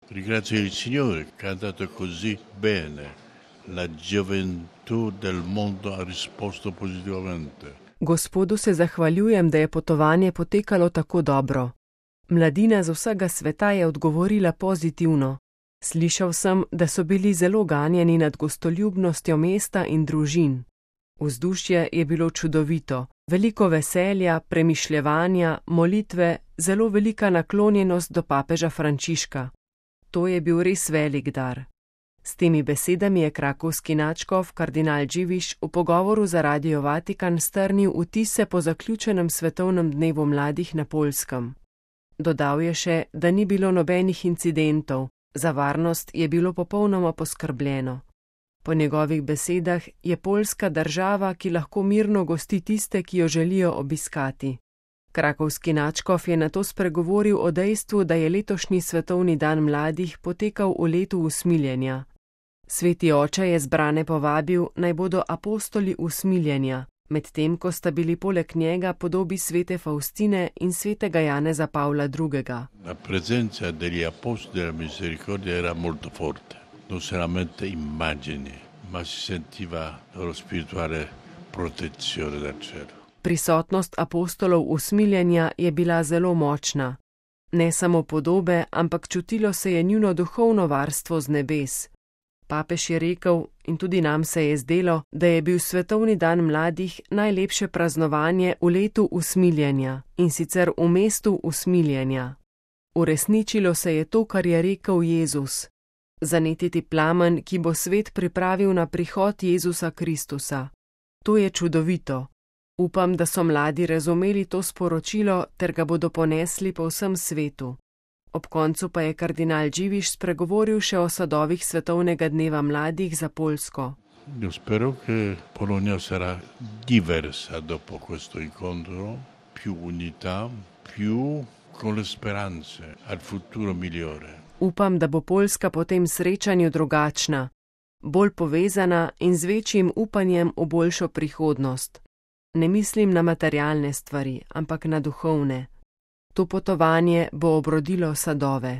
Ringrazio il Signore che ha dato così bene. La gioventù del mondo ha risposto positivamente. Gospodu se zahvaljujem, da je potovanje potekalo tako dobro. Mladina z vsega sveta je odgovorila pozitivno. Slišal sem, da so bili zelo ganjeni nad gostoljubnostjo mesta in družin. Vzdušje je bilo čudovito, veliko veselja, premišljevanja, molitve, zelo velika naklonjenost do papeža Frančiška. To je bil res velik dar. S temi besedami je krakovski nadškof kardinal Dziwisz v pogovoru za Radio Vatikan strnil vtise po zaključenem svetovnem dnevu mladih na Poljskem. Dodal je še, da ni bilo nobenih incidentov, za varnost je bilo popolnoma poskrbljeno. Po njegovih besedah je Poljska država, ki lahko mirno gosti tiste, ki jo želijo obiskati. Krakovski nadškof je nato spregovoril o dejstvu, da je letošnji svetovni dan mladih potekal v letu usmiljenja. Sveti oče je zbrane povabil, naj bodo apostoli usmiljenja, medtem ko sta bili poleg njega podobi svete Faustine in svetega Janeza Pavla II. La presenza degli apostoli della misericordia era molto forte, non solamente immagini, ma si sentiva loro spirituale protezione dal cielo. Prisotnost apostolov usmiljenja je bila zelo močna. Ne samo podobe, ampak čutilo se je njuno duhovno varstvo z nebes. Papež je rekel, in tudi nam se je zdelo, da je bil svetovni dan mladih najlepše praznovanje v letu usmiljenja, in sicer v mestu usmiljenja. Uresničilo se je to, kar je rekel Jezus. Zanetiti plamen, ki bo svet pripravil na prihod Jezusa Kristusa. To je čudovito. Upam, da so mladi razumeli to sporočilo ter ga bodo ponesli po vsem svetu. Ob koncu pa je kardinal Dziwisz spregovoril še o sadovih svetovnega dneva mladih za Poljsko. Io spero che Polonia sarà diversa dopo questo incontro, più unità, più con le speranze al futuro migliore. Upam, da bo Poljska po tem srečanju drugačna, bolj povezana in z večjim upanjem v boljšo prihodnost. Ne mislim na materialne stvari, ampak na duhovne. To potovanje bo obrodilo sadove.